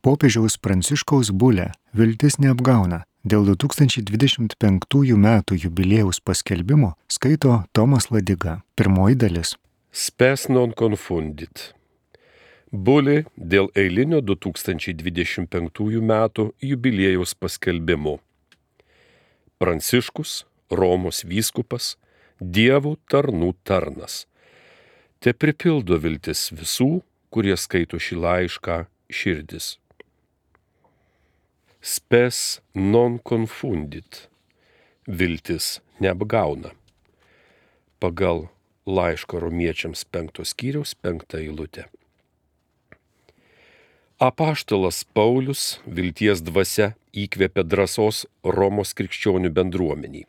Popiežiaus Pranciškaus bulę Viltis neapgauna dėl 2025 metų jubiliejaus paskelbimo skaito Tomas Ladiga. Pirmoji dalis. Spes non confundit. Bulė dėl eilinio 2025 metų jubiliejaus paskelbimo. Pranciškus, Romos vyskupas, Dievo tarnų tarnas. Te pripildo viltis visų, kurie skaito šį laišką, širdis. Spes non confundit. Viltis neapgauna. Pagal laiško romiečiams 5 skyriaus 5 eilutė. Apaštalas Paulius vilties dvasia įkvėpė drąsos Romos krikščionių bendruomeniai.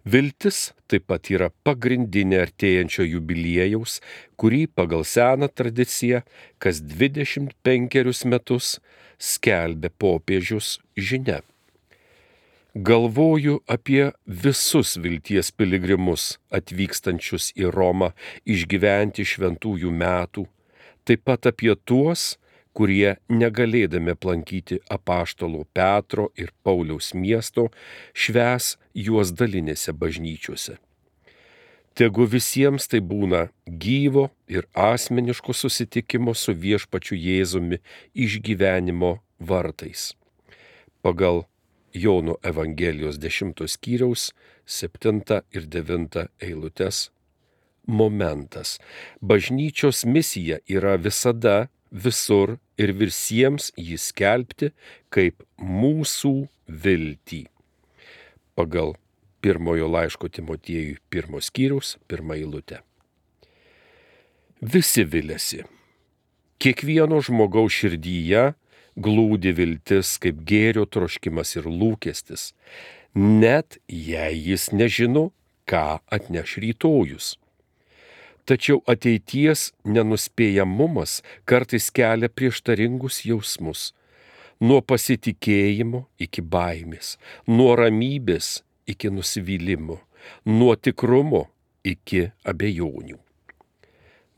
Viltis taip pat yra pagrindinė artėjančio jubiliejaus, kurį pagal seną tradiciją kas 25 metus skelbia popiežius žinia. Galvoju apie visus vilties piligrimus atvykstančius į Romą išgyventi šventųjų metų, taip pat apie tuos, kurie negalėdami aplankyti apaštalo Petro ir Pauliaus miesto, švęs juos dalinėse bažnyčiose. Tegu visiems tai būna gyvo ir asmeniško susitikimo su viešpačiu Jėzumi išgyvenimo vartais. Pagal Jono Evangelijos 10 skyriaus 7 ir 9 eilutes momentas. Bažnyčios misija yra visada, visur ir visiems jį skelbti kaip mūsų viltį. Pagal pirmojo laiško Timotiejui 1 skyriaus 1 eilutė. Visi viliasi. Kiekvieno žmogaus širdyje glūdi viltis kaip gėrio troškimas ir lūkestis, net jei jis nežino, ką atneš rytojus. Tačiau ateities nenuspėjamumas kartais kelia prieštaringus jausmus. Nuo pasitikėjimo iki baimės, nuo ramybės iki nusivylimo, nuo tikrumo iki abejonių.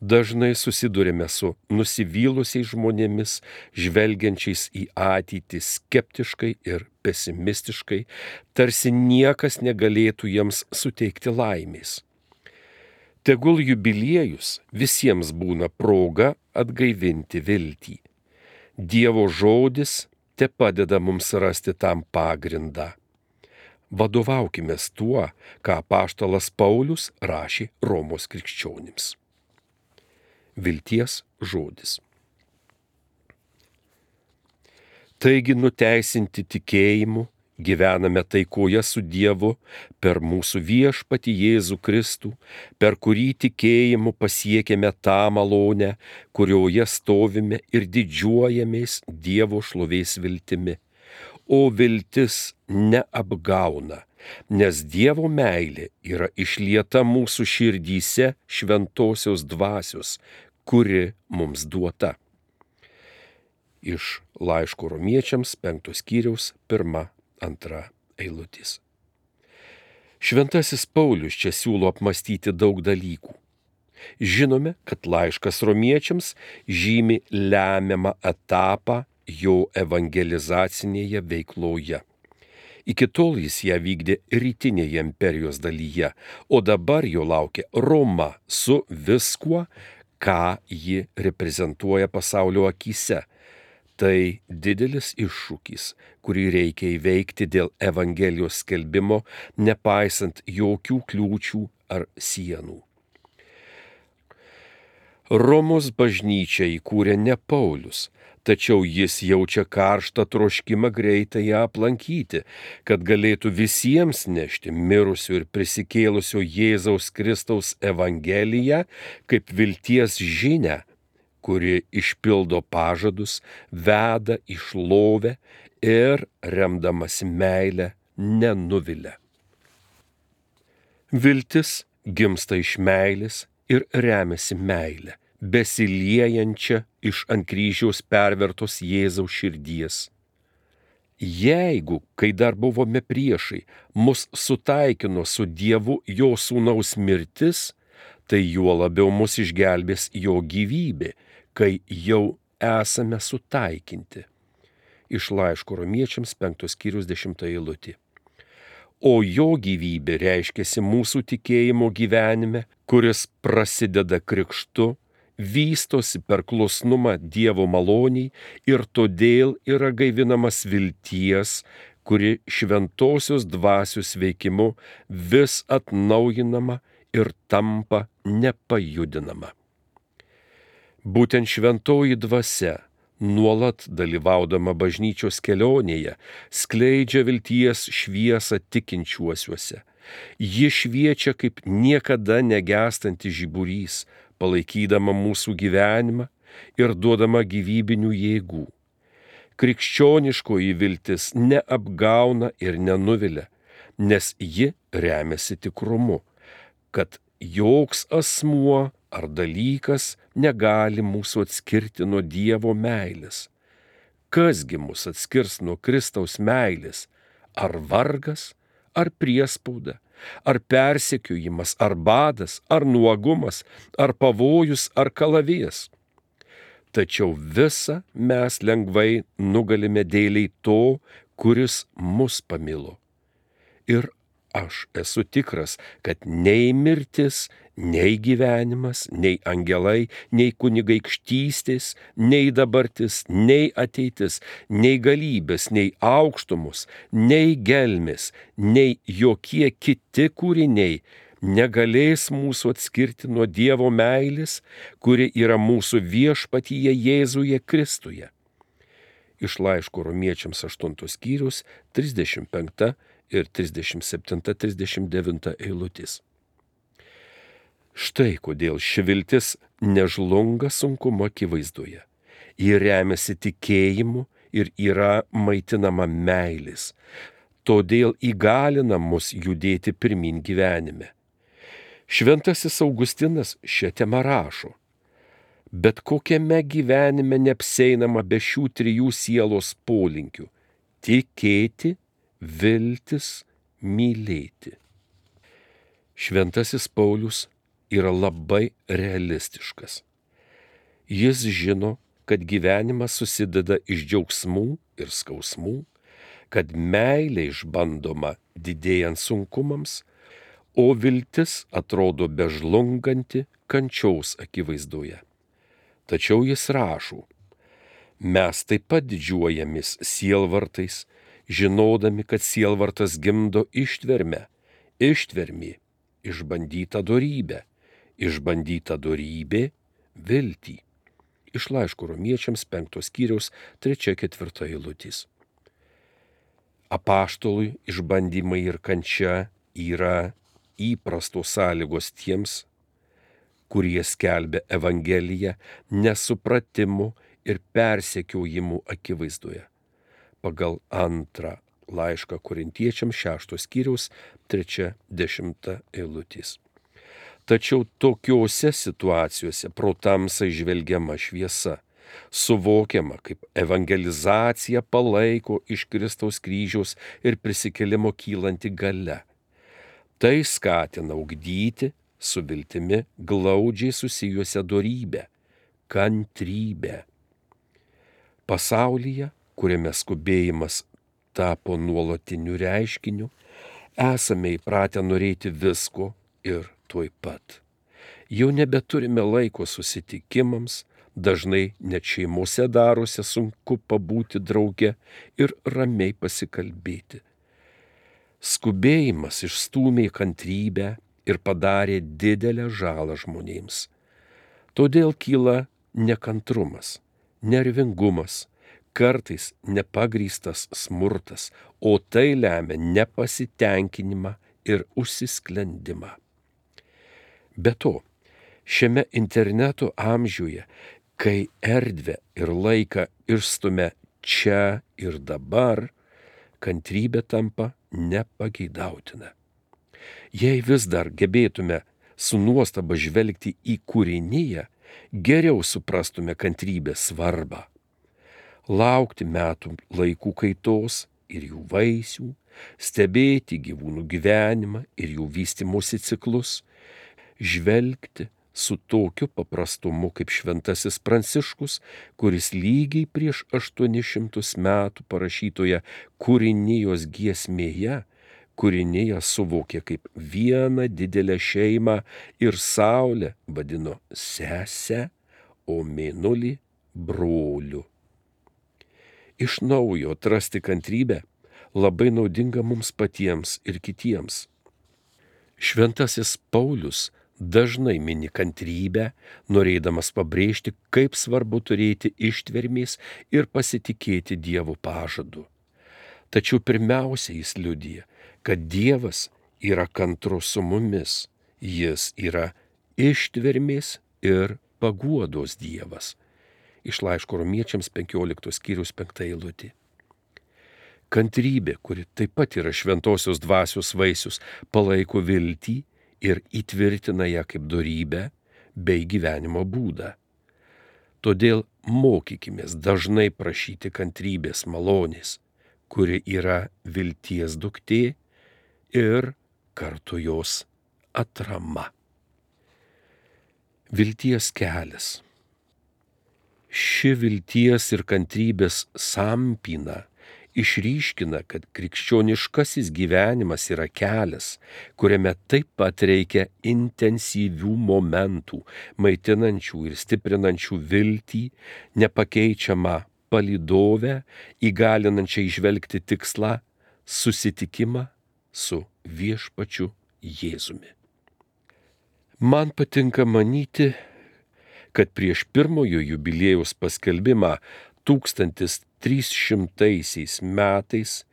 Dažnai susidurime su nusivylusiais žmonėmis, žvelgiančiais į ateitį skeptiškai ir pesimistiškai, tarsi niekas negalėtų jiems suteikti laimės. Tegul jubiliejus visiems būna proga atgaivinti viltį. Dievo žodis te padeda mums rasti tam pagrindą. Vadovaukimės tuo, ką apaštalas Paulius rašė Romos krikščionims. Vilties žodis. Taigi nuteisinti tikėjimu, gyvename taikoje su Dievu per mūsų viešpatį Jėzų Kristų, per kurį tikėjimu pasiekėme tą malonę, kurioje stovime ir didžiuojamės Dievo šlovės viltimi. O viltis neapgauna, nes Dievo meilė yra išlieta mūsų širdyse šventosios dvasios, kuri mums duota. Iš laiško romiečiams 5 skyriaus 1-2 eilutės. Šventasis Paulius čia siūlo apmastyti daug dalykų. Žinome, kad laiškas romiečiams žymi lemiamą etapą jo evangelizacinėje veikloje. Iki tol jis ją vykdė rytinėje imperijos dalyje, o dabar jo laukia Roma su viskuo, ką ji reprezentuoja pasaulio akyse. Tai didelis iššūkis, kurį reikia įveikti dėl Evangelijos skelbimo, nepaisant jokių kliūčių ar sienų. Romos bažnyčią įkūrė ne Paulius, tačiau jis jaučia karštą troškimą greitai ją aplankyti, kad galėtų visiems nešti mirusio ir prisikėlusio Jėzaus Kristaus Evangeliją kaip vilties žinią, kuri išpildo pažadus, veda į šlovę ir, remdamasi meilę, nenuvilia. Viltis gimsta iš meilės ir remiasi meilę, besiliejančia iš ant kryžiaus pervertos Jėzaus širdies. Jeigu, kai dar buvome priešai, mus sutaikino su Dievu jo sūnaus mirtis, tai juo labiau mus išgelbės jo gyvybė, kai jau esame sutaikinti. Iš laiško Romiečiams 5 skyrius 10 eilutė. O jo gyvybė reiškiasi mūsų tikėjimo gyvenime, kuris prasideda krikštu, vystosi per klusnumą Dievo maloniai ir todėl yra gaivinamas vilties, kuri šventosios dvasios veikimu vis atnaujinama ir tampa nepajudinama. Būtent šventoji dvasia, nuolat dalyvaudama bažnyčios kelionėje, skleidžia vilties šviesą tikinčiuosiuose. Ji šviečia kaip niekada negęstantis žiburys, palaikydama mūsų gyvenimą ir duodama gyvybinių jėgų. Krikščioniškoji viltis neapgauna ir nenuvilia, nes ji remiasi tikrumu, kad joks asmuo ar dalykas negali mūsų atskirti nuo Dievo meilės. Kasgi mus atskirs nuo Kristaus meilės? Ar vargas, ar priespauda, ar persekiojimas, ar badas, ar nuogumas, ar pavojus, ar kalavijas? Tačiau visą mes lengvai nugalime dėliai to, kuris mus pamilo. Ir aš esu tikras, kad nei mirtis, nei gyvenimas, nei angelai, nei kunigaikštystės, nei dabartis, nei ateitis, nei galybės, nei aukštumos, nei gelmės, nei jokie kiti kūriniai negalės mūsų atskirti nuo Dievo meilės, kuri yra mūsų viešpatyje Jėzuje Kristuje. Iš laiško Romiečiams 8 skyrius 35 ir 37-39 eilutės. Štai kodėl ši viltis nežlunga sunkumo akivaizdoje. Ji remiasi tikėjimu ir yra maitinama meilės, todėl įgalina mus judėti pirmyn gyvenime. Šventasis Augustinas šią temą rašo: bet kokiame gyvenime neapseinama be šių trijų sielos polinkių – tikėti, viltis, mylėti. Šventasis Paulius yra labai realistiškas. Jis žino, kad gyvenimas susideda iš džiaugsmų ir skausmų, kad meilė išbandoma didėjant sunkumams, o viltis atrodo bežlunganti kančiaus akivaizdoje. Tačiau jis rašo: mes taip pat didžiuojamės sielvartais, žinodami, kad sielvartas gimdo ištvermę, ištvermė išbandytą dorybę, išbandyta dorybė viltį. Iš laiško Romiečiams 5 skyriaus 3-4 eilutės. Apaštalui išbandymai ir kančia yra įprastos sąlygos tiems, kurie skelbia Evangeliją nesupratimu ir persekiojimų akivaizdoje. Pagal 2 laišką Korintiečiams 6 skyriaus 3-10 eilutės. Tačiau tokiuose situacijose pro tamsą žvelgiama šviesa, suvokiama kaip evangelizacija palaiko iš Kristaus kryžiaus ir prisikėlimo kylanti galia. Tai skatina ugdyti su viltimi glaudžiai susijusią dorybę, kantrybę. Pasaulyje, kuriame skubėjimas tapo nuolatiniu reiškiniu, esame įpratę norėti visko ir tuoj pat. Jau nebeturime laiko susitikimams, dažnai net šeimose darosi sunku pabūti drauge ir ramiai pasikalbėti. Skubėjimas išstūmė kantrybę ir padarė didelę žalą žmonėms. Todėl kyla nekantrumas, nervingumas, kartais nepagrįstas smurtas, o tai lemia nepasitenkinimą ir užsisklendimą. Be to, šiame interneto amžiuje, kai erdvę ir laiką išstumia čia ir dabar, kantrybė tampa nepageidautina. Jei vis dar gebėtume su nuostaba žvelgti į kūriniją, geriau suprastume kantrybės svarbą. Laukti metų laikų kaitos ir jų vaisių, stebėti gyvūnų gyvenimą ir jų vystymosi ciklus, žvelgti, su tokiu paprastumu kaip šventasis Pranciškus, kuris lygiai prieš 800 metų parašytoje kūrinijos giesmėje kūriniją suvokė kaip vieną didelę šeimą ir saulę vadino sesę, o mėnulį broliu. Iš naujo atrasti kantrybę labai naudinga mums patiems ir kitiems. Šventasis Paulius dažnai mini kantrybę, norėdamas pabrėžti, kaip svarbu turėti ištvermės ir pasitikėti Dievo pažadu. Tačiau pirmiausia jis liudija, kad Dievas yra kantrus su mumis, jis yra ištvermės ir paguodos Dievas. Iš laiško Romiečiams 15 skyrius 5 eilutė. Kantrybė, kuri taip pat yra šventosios dvasios vaisius, palaiko viltį ir įtvirtina ją kaip dorybę bei gyvenimo būdą. Todėl mokykimės dažnai prašyti kantrybės malonės, kuri yra vilties duktė ir kartu jos atrama. Vilties kelias. Ši vilties ir kantrybės sampyna išryškina, kad krikščioniškasis gyvenimas yra kelias, kuriame taip pat reikia intensyvių momentų, maitinančių ir stiprinančių viltį, nepakeičiamą palydovę, įgalinančią įžvelgti tikslą, susitikimą su viešpačiu Jėzumi. Man patinka manyti, kad prieš pirmojo jubiliejaus paskelbimą 1300 metais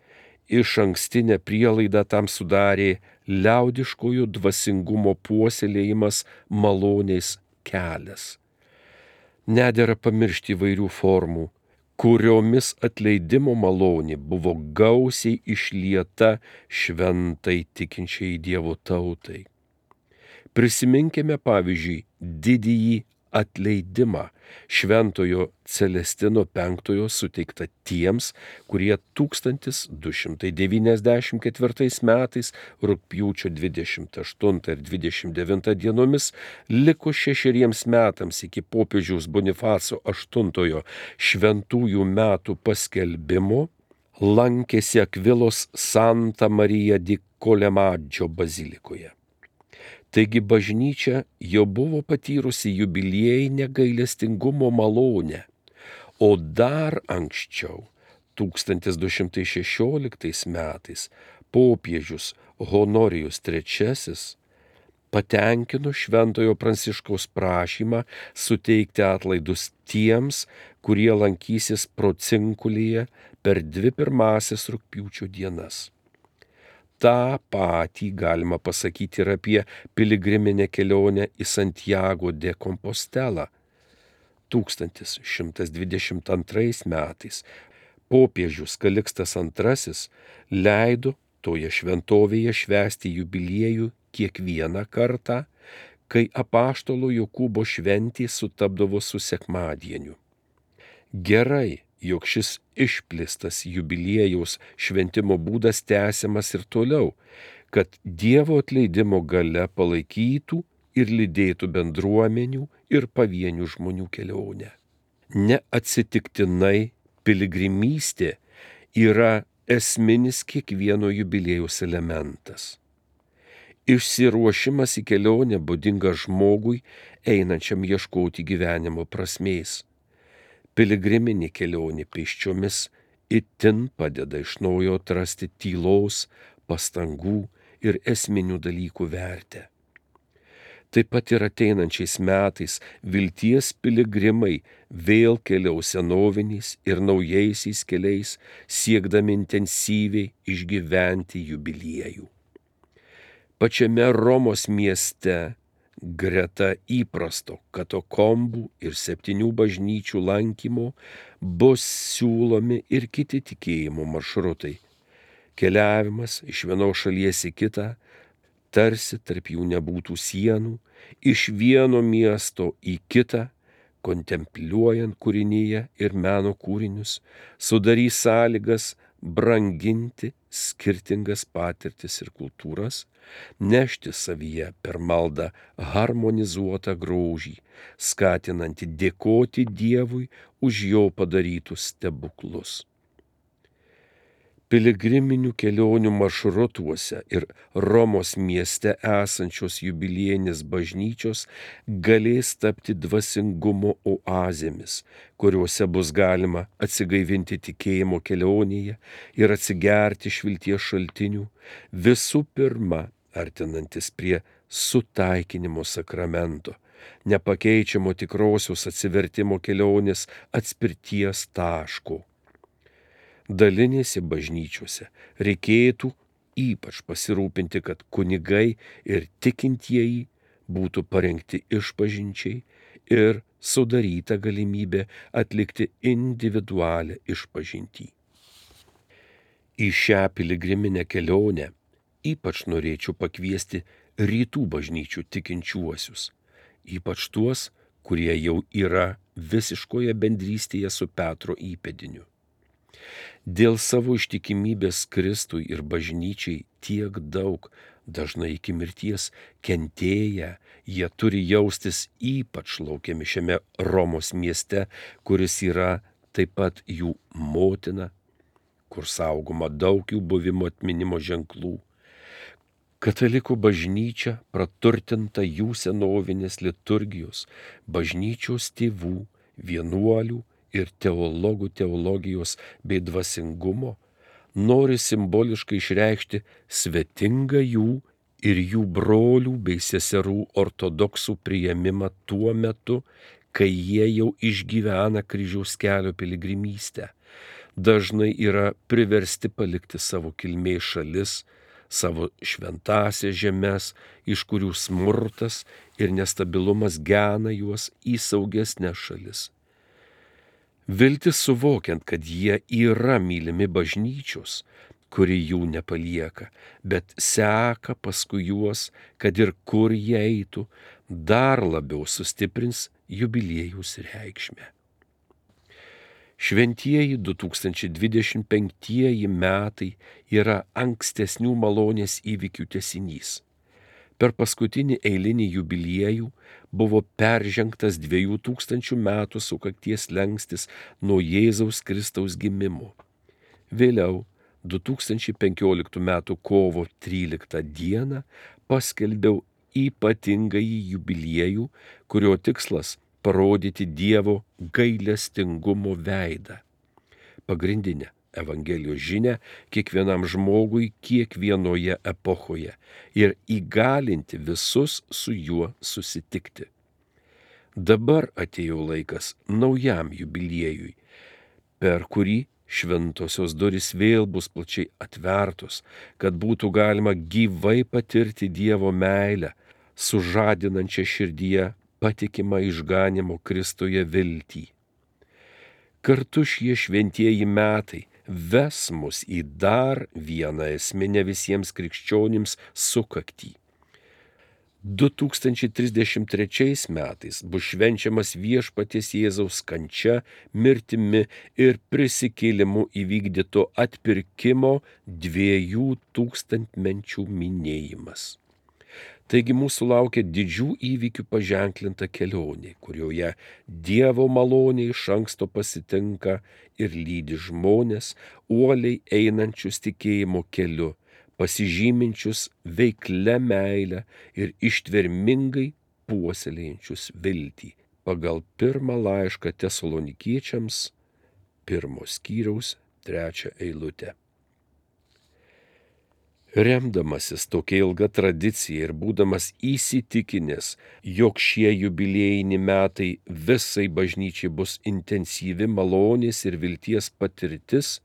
išankstinę prielaidą tam sudarė liaudiškojo dvasingumo puoselėjimas malonės kelias. Nedera pamiršti įvairių formų, kuriomis atleidimo malonė buvo gausiai išlieta šventai tikinčiai Dievo tautai. Prisiminkime pavyzdžiui didįjį atleidimą šventojo Celestino V suteiktą tiems, kurie 1294 metais rugpjūčio 28 ir 29 dienomis likus 6 metams iki popiežiaus Bonifaco VIII šventųjų metų paskelbimo lankėsi Akvilos Santa Marija di Colemaggio bazilikoje. Taigi bažnyčia jau buvo patyrusi jubiliejinę gailestingumo malonę, o dar anksčiau, 1216 metais, popiežius Honorijus III patenkino šventojo Pranciškaus prašymą suteikti atlaidus tiems, kurie lankysis Procinkulyje per 2 pirmąsias rugpjūčio dienas. Ta patį galima pasakyti ir apie piligriminę kelionę į Santiago de Compostelą. 1122 metais popiežius Kalikstas II leido toje šventovėje švęsti jubiliejų kiekvieną kartą, kai apaštalo Jokūbo šventė sutapdavo su sekmadieniu. Gerai, jog šis išplėstas jubiliejaus šventimo būdas tęsiamas ir toliau, kad Dievo atleidimo galia palaikytų ir lydėtų bendruomenių ir pavienių žmonių kelionę. Neatsitiktinai piligrimystė yra esminis kiekvieno jubiliejaus elementas. Išsiruošimas į kelionę būdinga žmogui, einančiam ieškoti gyvenimo prasmės. Piligriminė kelionė pėsčiomis itin padeda iš naujo atrasti tylos, pastangų ir esminių dalykų vertę. Taip pat ir ateinančiais metais vilties piligrimai vėl keliaus senoviniais ir naujaisiais keliais, siekdami intensyviai išgyventi jubiliejų. Pačiame Romos mieste greta įprasto katakombų ir 7 bažnyčių lankymo bus siūlomi ir kiti tikėjimo maršrutai. Keliavimas iš vienos šalies į kitą, tarsi tarp jų nebūtų sienų, iš vieno miesto į kitą, kontempliuojant kūrinyje ir meno kūrinius, sudarys sąlygas branginti skirtingas patirtis ir kultūras, nešti savyje per maldą harmonizuotą grožį, skatinantį dėkoti Dievui už jo padarytus stebuklus. Piligriminių kelionių maršrutuose ir Romos mieste esančios jubiliejinės bažnyčios galės tapti dvasingumo oazėmis, kuriuose bus galima atsigaivinti tikėjimo kelionėje ir atsigerti iš vilties šaltinių, visų pirma artinantis prie sutaikinimo sakramento, nepakeičiamo tikrosios atsivertimo kelionės atspirties taško. Dalinėse bažnyčiose reikėtų ypač pasirūpinti, kad kunigai ir tikintieji būtų parengti išpažinčiai ir sudaryta galimybė atlikti individualią išpažintį. Į šią piligriminę kelionę ypač norėčiau pakviesti rytų bažnyčių tikinčiuosius, ypač tuos, kurie jau yra visiškoje bendrystėje su Petro įpėdiniu. Dėl savo ištikimybės Kristui ir bažnyčiai tiek daug, dažnai iki mirties kentėję, jie turi jaustis ypač laukiami šiame Romos mieste, kuris yra taip pat jų motina, kur saugoma daug jų buvimo atminimo ženklų. Katalikų bažnyčia praturtinta jų senovinės liturgijos, bažnyčios tėvų, vienuolių ir teologų teologijos bei dvasingumo, nori simboliškai išreikšti svetingą jų ir jų brolių bei seserų ortodoksų priėmimą tuo metu, kai jie jau išgyvena kryžiaus kelio piligrimystę, dažnai yra priversti palikti savo kilmės šalis, savo šventąsias žemes, iš kurių smurtas ir nestabilumas gena juos į saugesnes šalis. Viltis suvokiant, kad jie yra mylimi bažnyčios, kuri jų nepalieka, bet seka paskui juos, kad ir kur jie eitų, dar labiau sustiprins jubiliejaus reikšmę. Šventieji 2025 metai yra ankstesnių malonės įvykių tęsinys. Per paskutinį eilinį jubiliejų buvo peržengtas 2000 metų sukakties slenkstis nuo Jėzaus Kristaus gimimo. Vėliau, 2015 metų kovo 13 dieną, paskelbiau ypatingąjį jubiliejų, kurio tikslas parodyti Dievo gailestingumo veidą. Pagrindinę Evangelijos žinią kiekvienam žmogui kiekvienoje epochoje ir įgalinti visus su juo susitikti. Dabar atėjo laikas naujam jubiliejui, per kurį šventosios durys vėl bus plačiai atvertos, kad būtų galima gyvai patirti Dievo meilę, sužadinančią širdyje patikimą išganimo Kristuje viltį. Kartu šie šventieji metai ves mus į dar vieną esminę visiems krikščionims sukaktį. 2033 metais bus švenčiamas Viešpaties Jėzaus kančia, mirtimi ir prisikėlimu įvykdyto atpirkimo 2000-mečių minėjimas. Taigi mūsų laukia didžių įvykių paženklinta kelionė, kurioje Dievo malonė iš anksto pasitinka ir lydi žmonės, uoliai einančius tikėjimo keliu, pasižyminčius veiklia meilę ir ištvermingai puoselėjančius viltį. Pagal pirmą laišką Tesalonikiečiams, 1 skyriaus 3 eilutę. Remdamasis tokia ilga tradicija ir būdamas įsitikinęs, jog šie jubiliejiniai metai visai bažnyčiai bus intensyvi malonės ir vilties patirtis,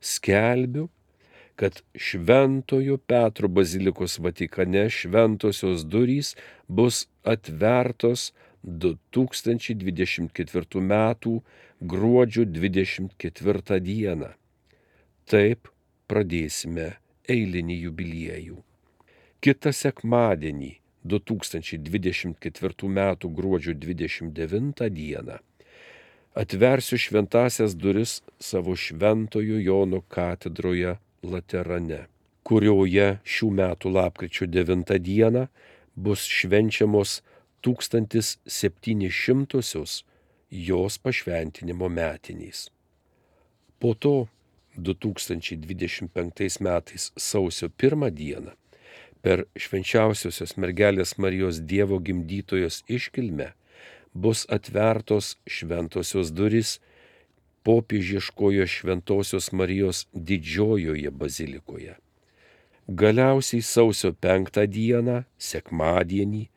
skelbiu, kad Šventojo Petro bazilikos Vatikane šventosios durys bus atvertos 2024 metų gruodžio 24 dieną. Taip pradėsime eilinį jubiliejų. Kitą sekmadienį, 2024 metų gruodžio 29 dieną, Atversiu šventasias duris savo Šventojo Jono katedroje Laterane, kurioje šių metų lapkričio 9 dieną bus švenčiamos 1700-osios jos pašventinimo metinės. Po to 2025 metais sausio 1 dieną per švenčiausiosios mergelės Marijos Dievo gimdytojos iškilmę bus atvertos šventosios durys popiežiškojo Šventosios Marijos didžiojoje bazilikoje. Galiausiai sausio 5 dieną, sekmadienį,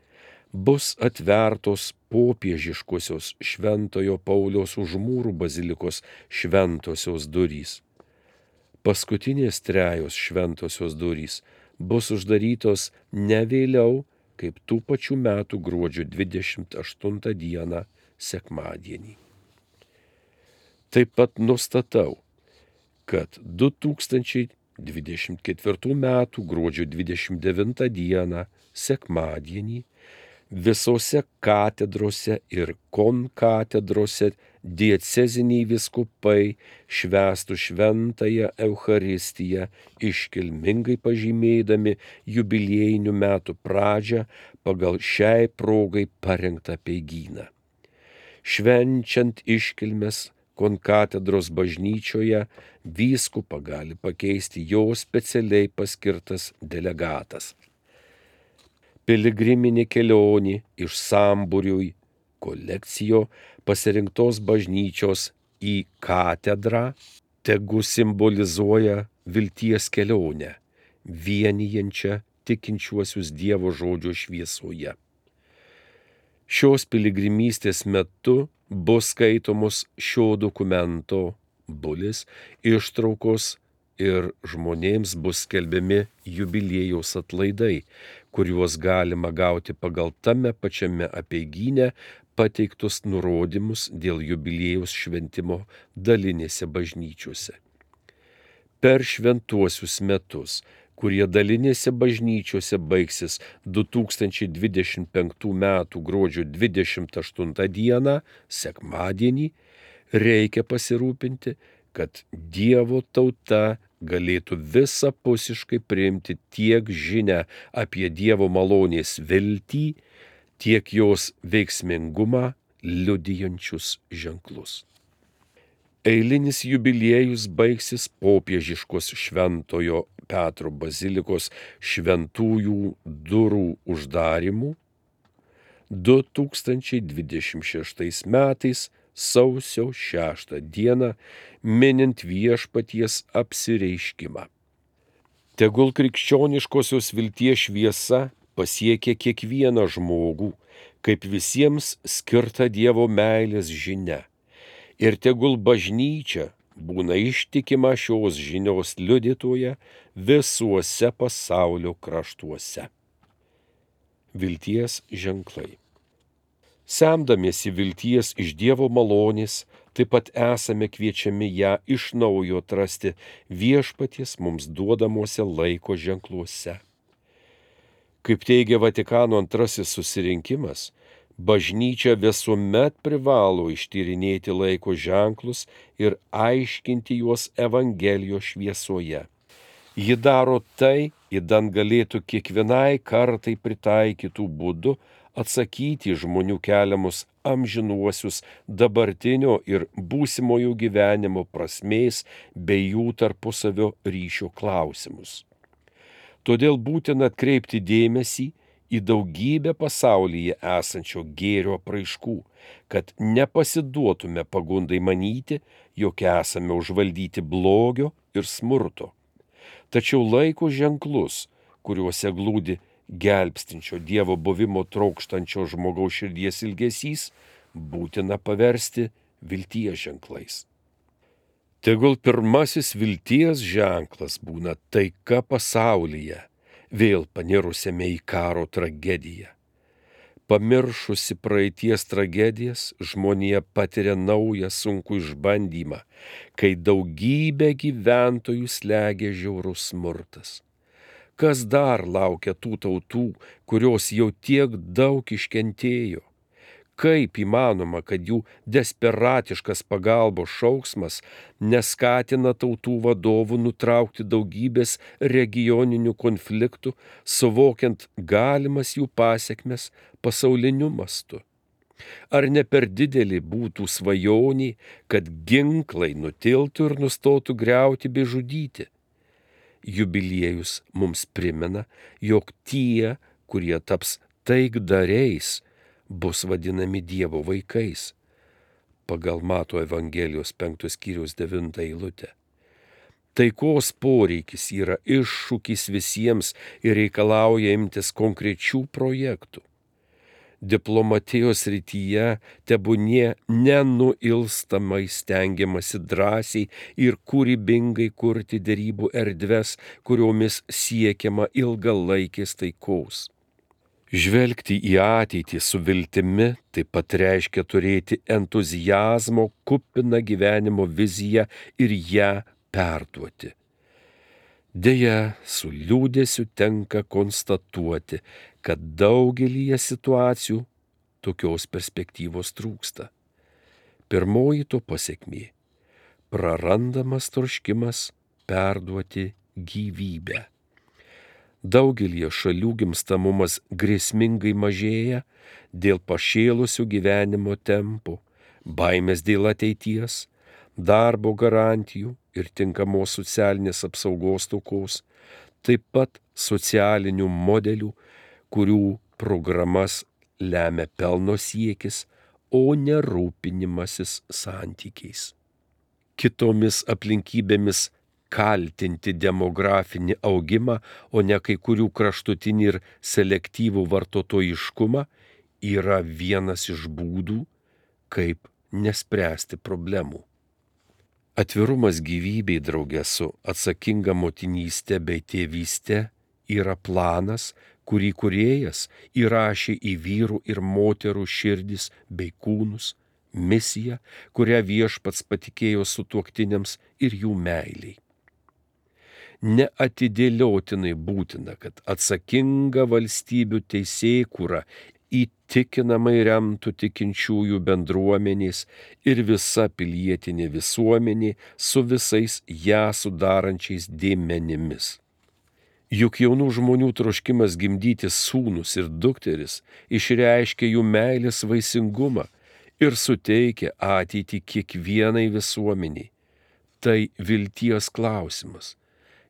bus atvertos popiežiškosios Šventojo Pauliaus Užmūrų bazilikos šventosios durys. Paskutinės 3 šventosios durys bus uždarytos ne vėliau kaip tų pačių metų gruodžio 28 dieną sekmadienį. Taip pat nustatau, kad 2024 metų gruodžio 29 dieną sekmadienį visose katedrose ir konkatedrose dieceziniai vyskupai švęstų šventąją Eucharistiją, iškilmingai pažymėdami jubiliejinių metų pradžią pagal šiai progai parengtą apeigyną. Švenčiant iškilmes konkatedros bažnyčioje vyskupą gali pakeisti jo specialiai paskirtas delegatas. Piligriminė kelionė iš sambūriui kolekcijo pasirinktos bažnyčios į katedrą tegu simbolizuoja vilties kelionę, vienijančią tikinčiuosius Dievo žodžio šviesoje. Šios piligrimystės metu bus skaitomos šio dokumento bulis ištraukos ir žmonėms bus skelbiami jubiliejaus atlaidai, kuriuos galima gauti pagal tame pačiame apeigyne pateiktus nurodymus dėl jubiliejaus šventimo dalinėse bažnyčiose. Per šventuosius metus, kurie dalinėse bažnyčiose baigsis 2025 metų gruodžio 28 dieną, sekmadienį, reikia pasirūpinti, kad Dievo tauta galėtų visapusiškai priimti tiek žinią apie Dievo malonės viltį, tiek jos veiksmingumą liudijančius ženklus. Eilinis jubiliejus baigsis popiežiškos Šventojo Petro bazilikos šventųjų durų uždarimu 2026 metais sausio 6 dieną minint Viešpaties apsireiškimą. Tegul krikščioniškosios vilties šviesa pasiekia kiekvieną žmogų, kaip visiems skirta Dievo meilės žinia. Ir tegul bažnyčia būna ištikima šios žinios liudytoja visuose pasaulio kraštuose. Vilties ženklai. Semdamiesi vilties iš Dievo malonės, taip pat esame kviečiami ją iš naujo atrasti Viešpaties mums duodamuose laiko ženkluose. Kaip teigia Vatikano II susirinkimas, bažnyčia visuomet privalo ištyrinėti laiko ženklus ir aiškinti juos Evangelijos šviesoje. Ji daro tai, idant galėtų kiekvienai kartai pritaikytų būdu atsakyti žmonių keliamus amžinuosius dabartinio ir būsimojo gyvenimo prasmės bei jų tarpusavio ryšio klausimus. Todėl būtina atkreipti dėmesį į daugybę pasaulyje esančio gėrio apraiškų, kad nepasiduotume pagundai manyti, jog esame užvaldyti blogio ir smurto. Tačiau laiko ženklus, kuriuose glūdi gelbstinčio Dievo buvimo trokštančio žmogaus širdies ilgesys, būtina paversti vilties ženklais. Tegul pirmasis vilties ženklas būna taika pasaulyje, vėl panirusiame į karo tragediją. Pamiršusi praeities tragedijas, žmonija patiria naują sunkų išbandymą, kai daugybę gyventojų slegia žiaurus smurtas. Kas dar laukia tų tautų, kurios jau tiek daug iškentėjo? Kaip įmanoma, kad jų desperatiškas pagalbos šauksmas neskatina tautų vadovų nutraukti daugybės regioninių konfliktų, suvokiant galimas jų pasekmes pasauliniu mastu? Ar ne per didelį būtų svajonė, kad ginklai nutiltų ir nustotų griauti bei žudyti? Jubiliejus mums primena, jog tie, kurie taps taikdariais, bus vadinami Dievo vaikais. Pagal Mato Evangelijos 5 skyriaus 9 eilutę. Taikos poreikis yra iššūkis visiems ir reikalauja imtis konkrečių projektų. Diplomatijos srityje tebūnie nenuilstamai stengiamasi drąsiai ir kūrybingai kurti derybų erdves, kuriomis siekiama ilgalaikės taikos. Žvelgti į ateitį su viltimi taip pat reiškia turėti entuziazmo kupiną gyvenimo viziją ir ją perduoti. Deja, su liūdesiu tenka konstatuoti, kad daugelyje situacijų tokios perspektyvos trūksta. Pirmoji to pasekmė – prarandamas troškimas perduoti gyvybę. Daugelyje šalių gimstamumas grėsmingai mažėja dėl pašėlusių gyvenimo tempų, baimės dėl ateities, darbo garantijų ir tinkamos socialinės apsaugos stokos, taip pat socialinių modelių, kurių programas lemia pelno siekis, o ne rūpinimasis santykiais. Kitomis aplinkybėmis kaltinti demografinį augimą, o ne kai kurių kraštutinį ir selektyvų vartotojiškumą yra vienas iš būdų, kaip nespręsti problemų. Atvirumas gyvybei drauge su atsakinga motinystė bei tėvystė yra planas, kurį kūrėjas įrašė į vyrų ir moterų širdis bei kūnus, misija, kurią Viešpats patikėjo sutuoktiniams ir jų meiliai. Neatidėliotinai būtina, kad atsakinga valstybių teisėkūra įtikinamai remtų tikinčiųjų bendruomenės ir visa pilietinė visuomenė su visais ją sudarančiais dėmenimis. Juk jaunų žmonių troškimas gimdyti sūnus ir dukteris išreiškia jų meilės vaisingumą ir suteikia ateitį kiekvienai visuomeniai. Tai vilties klausimas.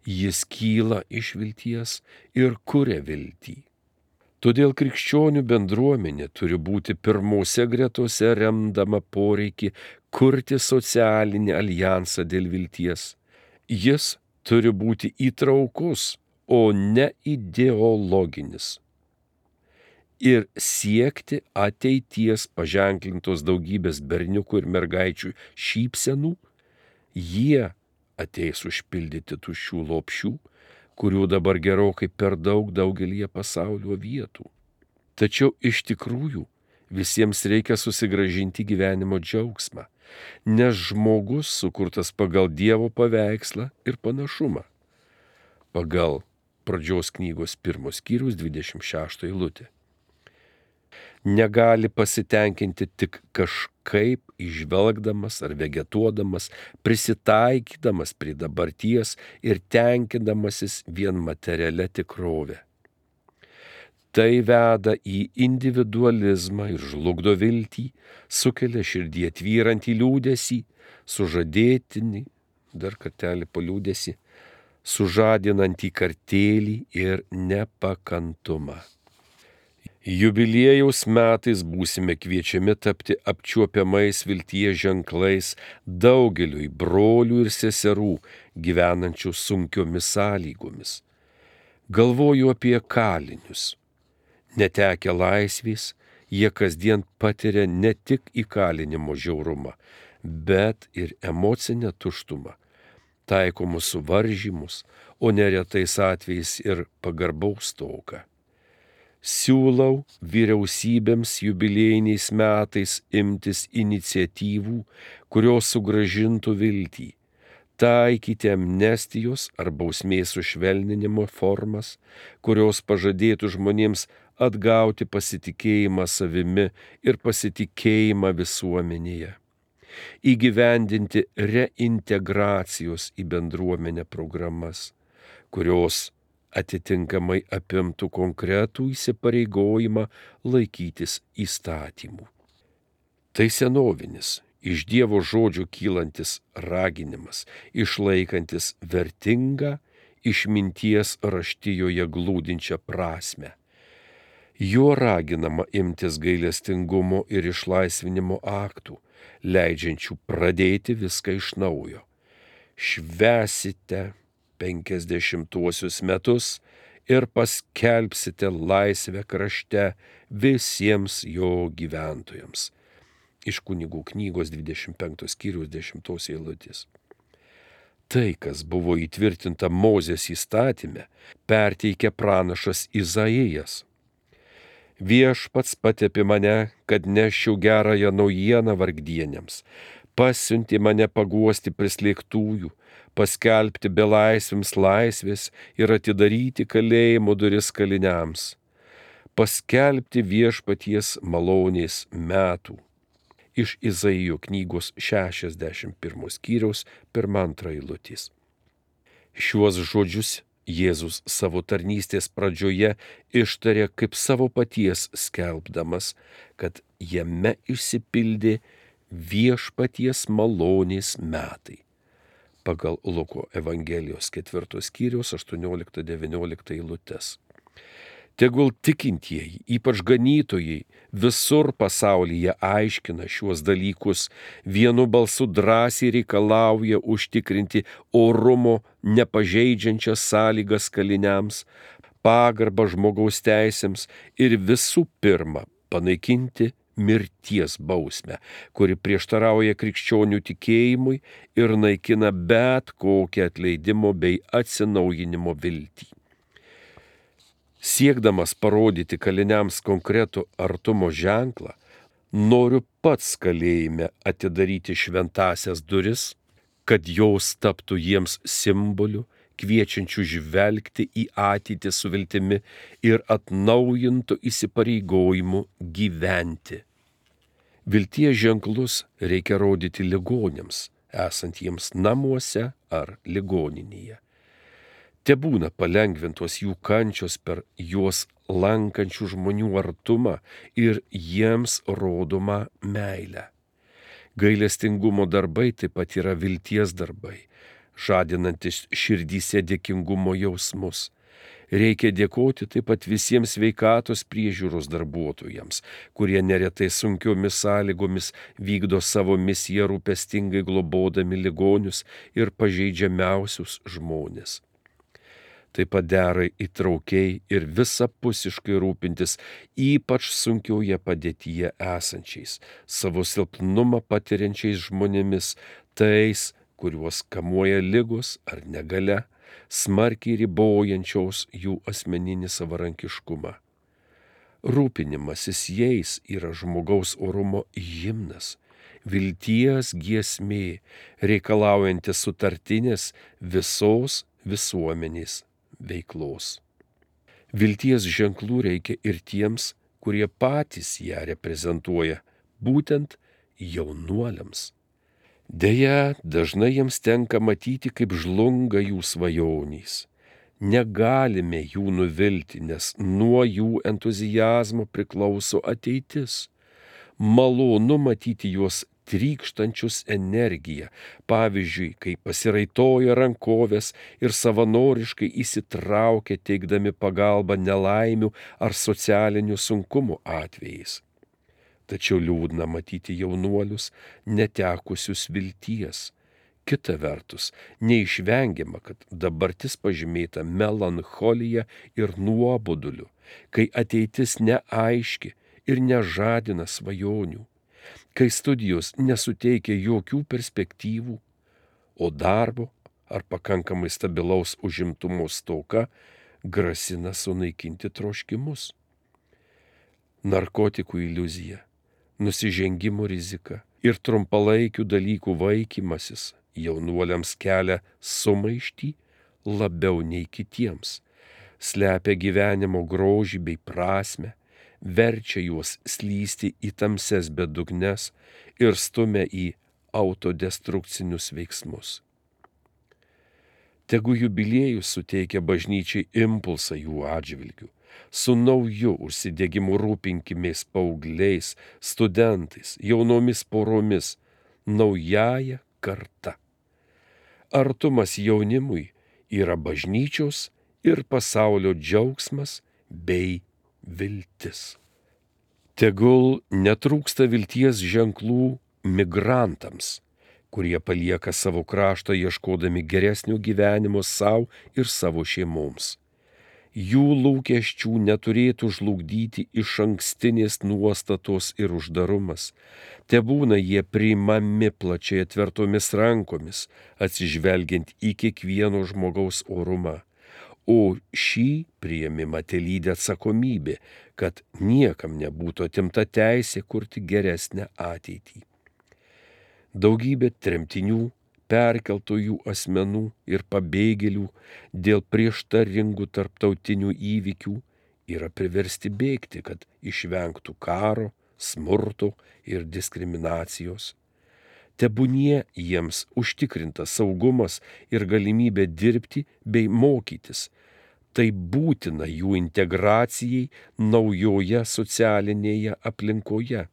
Jis kyla iš vilties ir kuria viltį. Todėl krikščionių bendruomenė turi būti pirmose gretose remdama poreikį kurti socialinį aljansą dėl vilties. Jis turi būti įtraukus, o ne ideologinis. Ir siekti ateities paženklintos daugybės berniukų ir mergaičių šypsenų, jie ateis užpildyti tuščių lopšių, kurių dabar gerokai per daug daugelyje pasaulio vietų. Tačiau iš tikrųjų visiems reikia susigrąžinti gyvenimo džiaugsmą, nes žmogus sukurtas pagal Dievo paveikslą ir panašumą. Pagal Pradžios knygos 1 skyriaus 26 eilutė. Negali pasitenkinti tik kažkaip išvelgdamas ar vegetuodamas, prisitaikydamas prie dabarties ir tenkindamasis vien materialia tikrove. Tai veda į individualizmą ir žlugdo viltį, sukelia širdį tvyrantį liūdesį, sužadėtinį, dar kartelį paliūdesį, sužadinantį kartėlį ir nepakantumą. Jubiliejaus metais būsime kviečiami tapti apčiuopiamais vilties ženklais daugeliui brolių ir seserų gyvenančių sunkiomis sąlygomis. Galvoju apie kalinius. Netekę laisvės, jie kasdien patiria ne tik įkalinimo žiaurumą, bet ir emocinę tuštumą, taikomus suvaržymus, o neretais atvejais ir pagarbaus stoką. Siūlau vyriausybėms jubiliejiniais metais imtis iniciatyvų, kurios sugrąžintų viltį, taikyti amnestijos ar bausmės sušvelninimo formas, kurios pažadėtų žmonėms atgauti pasitikėjimą savimi ir pasitikėjimą visuomenėje, įgyvendinti reintegracijos į bendruomenę programas, kurios atitinkamai apimtų konkretų įsipareigojimą laikytis įstatymų. Tai senovinis, iš Dievo žodžio kylantis raginimas, išlaikantis vertingą išminties raštijoje glūdinčią prasmę. Juo raginama imtis gailestingumo ir išlaisvinimo aktų, leidžiančių pradėti viską iš naujo. Švęsite 50 metus ir paskelbsite laisvę krašte visiems jo gyventojams. Iš Kunigų knygos 25 skyriaus 10 eilutės. Tai, kas buvo įtvirtinta Mozės įstatyme, perteikė pranašas Izaijas. Viešpats patepė mane, kad neščiau gerąją naujieną vargdieniams, pasiuntė mane paguosti prislėgtųjų, paskelbti belaisviams laisvės ir atidaryti kalėjimo duris kaliniams, paskelbti viešpaties malonės metų. Iš Izaijo knygos 61 skyriaus 1-2 eilutės. Šiuos žodžius Jėzus savo tarnystės pradžioje ištarė kaip savo paties skelbdamas, kad jame išsipildė viešpaties malonės metai. Pagal Luko Evangelijos 4 skyriaus 18-19 eilutes. Tegul tikintieji, ypač ganytojai, visur pasaulyje aiškina šiuos dalykus, vienu balsu drąsiai reikalauja užtikrinti orumo nepažeidžiančias sąlygas kaliniams, pagarbą žmogaus teisėms ir visų pirma panaikinti mirties bausmę, kuri prieštarauja krikščionių tikėjimui ir naikina bet kokią atleidimo bei atsinaujinimo viltį. Siekdamas parodyti kaliniams konkretų artumo ženklą, noriu pats kalėjime atidaryti šventąsias duris, kad jos taptų jiems simboliu, kviečiančių žvelgti į ateitį su viltimi ir atnaujintų įsipareigojimu gyventi. Vilties ženklus reikia rodyti ligoniams, esantiems namuose ar ligoninėje. Tebūna palengvintos jų kančios per juos lankančių žmonių artumą ir jiems rodomą meilę. Gailestingumo darbai taip pat yra vilties darbai, žadinantis širdyse dėkingumo jausmus. Reikia dėkoti taip pat visiems sveikatos priežiūros darbuotojams, kurie neretai sunkiomis sąlygomis vykdo savo misiją rūpestingai globodami ligonius ir pažeidžiamiausius žmones. Taip pat dera įtraukiai ir visapusiškai rūpintis ypač sunkioje padėtyje esančiais, savo silpnumą patiriančiais žmonėmis, tais, kuriuos kamuoja ligos ar negalia, smarkiai ribojančios jų asmeninį savarankiškumą. Rūpinimasis jais yra žmogaus orumo himnas, vilties giesmė, reikalaujantis sutartinės visos visuomenės veiklos. Vilties ženklų reikia ir tiems, kurie patys ją reprezentuoja, būtent jaunuoliams. Deja, dažnai jiems tenka matyti, kaip žlunga jų svajonės. Negalime jų nuvilti, nes nuo jų entuziazmo priklauso ateitis. Malonu matyti juos trykštančius energiją, pavyzdžiui, kai pasiraitoja rankovės ir savanoriškai įsitraukia teikdami pagalbą nelaimių ar socialinių sunkumų atvejais. Tačiau liūdna matyti jaunuolius netekusius vilties. Kita vertus, neišvengiama, kad dabartis pažymėta melancholija ir nuoboduliu, kai ateitis neaiški ir nežadina svajonių, kai studijos nesuteikia jokių perspektyvų, o darbo ar pakankamai stabilaus užimtumo stoka grasina sunaikinti troškimus. Narkotikų iliuzija, nusižengimo rizika ir trumpalaikių dalykų vaikymasis jaunuoliams kelia sumaištį labiau nei kitiems. slepia gyvenimo grožį bei prasmę, verčia juos slysti į tamses bedugnes ir stumia į autodestrukcinius veiksmus. Tegu jubiliejus suteikia bažnyčiai impulsą jų atžvilgių. Su nauju užsidegimu rūpinkimės paaugliais, studentais, jaunomis poromis, naująja karta. Artumas jaunimui yra bažnyčios ir pasaulio džiaugsmas bei viltis. Tegul netrūksta vilties ženklų migrantams, kurie palieka savo kraštą ieškodami geresnio gyvenimo savo ir savo šeimoms. Jų lūkesčių neturėtų žlugdyti išankstinės nuostatos ir uždarumas. Tebūna jie priimami plačiai atvertomis rankomis, atsižvelgiant į kiekvieno žmogaus orumą. O šį priėmimą telydi atsakomybė, kad niekam nebūtų atimta teisė kurti geresnę ateitį. Daugybė tremtinių, perkeltojų asmenų ir pabėgėlių dėl prieštaringų tarptautinių įvykių yra priversti bėgti, kad išvengtų karo, smurto ir diskriminacijos. Tebūnie jiems užtikrintas saugumas ir galimybė dirbti bei mokytis. Tai būtina jų integracijai naujoje socialinėje aplinkoje.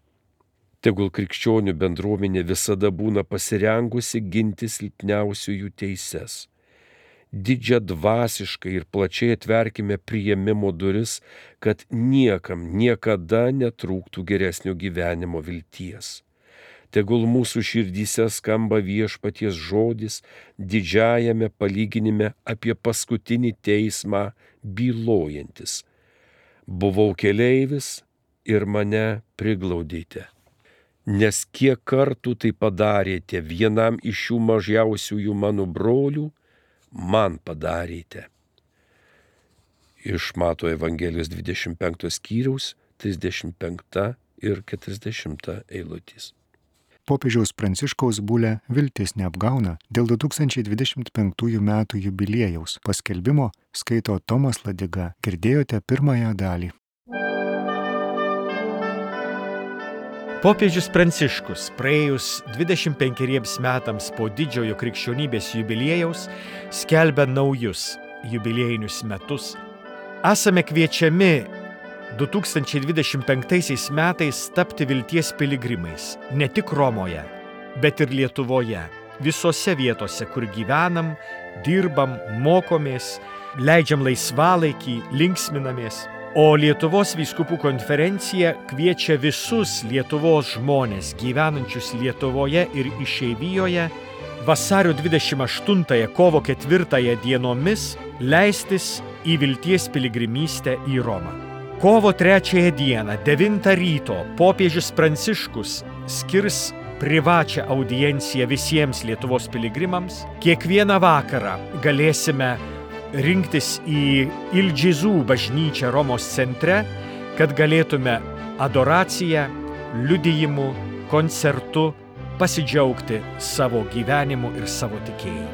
Tegul krikščionių bendruomenė visada būna pasirengusi ginti silpniausiųjų teises. Didžiadvasiškai ir plačiai atverkime priėmimo duris, kad niekam niekada netrūktų geresnio gyvenimo vilties. Tegul mūsų širdyse skamba Viešpaties žodis didžiajame palyginime apie paskutinį teismą bylojantis. Buvau keleivis ir mane priglaudėte. Nes kiek kartų tai padarėte vienam iš šių mažiausiųjų mano brolių, man padarėte. Iš Mato Evangelijos 25 skyriaus 35 ir 40 eilutės. Popiežiaus Pranciškaus bulę Viltis neapgauna dėl 2025 metų jubiliejaus paskelbimo skaito Tomas Ladiga. Girdėjote pirmąją dalį. Popiežius Pranciškus praėjus 25 metams po didžiojo krikščionybės jubiliejaus skelbia naujus jubiliejinius metus. Esame kviečiami 2025 metais tapti vilties piligrimais ne tik Romoje, bet ir Lietuvoje, visose vietose, kur gyvenam, dirbam, mokomės, leidžiam laisvalaikį, linksminamės. O Lietuvos vyskupų konferencija kviečia visus Lietuvos žmonės gyvenančius Lietuvoje ir išeivijoje vasario 28, kovo 4 dienomis leistis į vilties piligrimystę į Romą. Kovo 3 dieną, 9 ryto, popiežius Pranciškus skirs privačią audienciją visiems Lietuvos piligrimams. Kiekvieną vakarą galėsime rinktis į Il Gesù bažnyčią Romos centre, kad galėtume adoraciją, liudijimu, koncertu pasidžiaugti savo gyvenimu ir savo tikėjimu.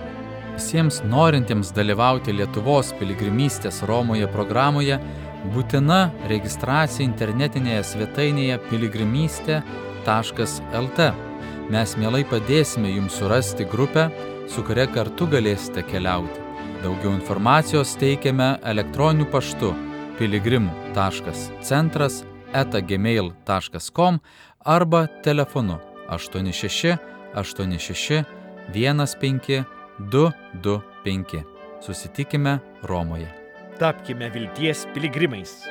Visiems norintiems dalyvauti Lietuvos piligrimystės Romoje programoje būtina registracija internetinėje svetainėje piligrimystė.lt. Mes mielai padėsime jums surasti grupę, su kuria kartu galėsite keliauti. Daugiau informacijos teikiame elektroniniu paštu piligrimų.centras@gmail.com arba telefonu 86 86 15 225. Susitikime Romoje. Tapkime vilties piligrimais.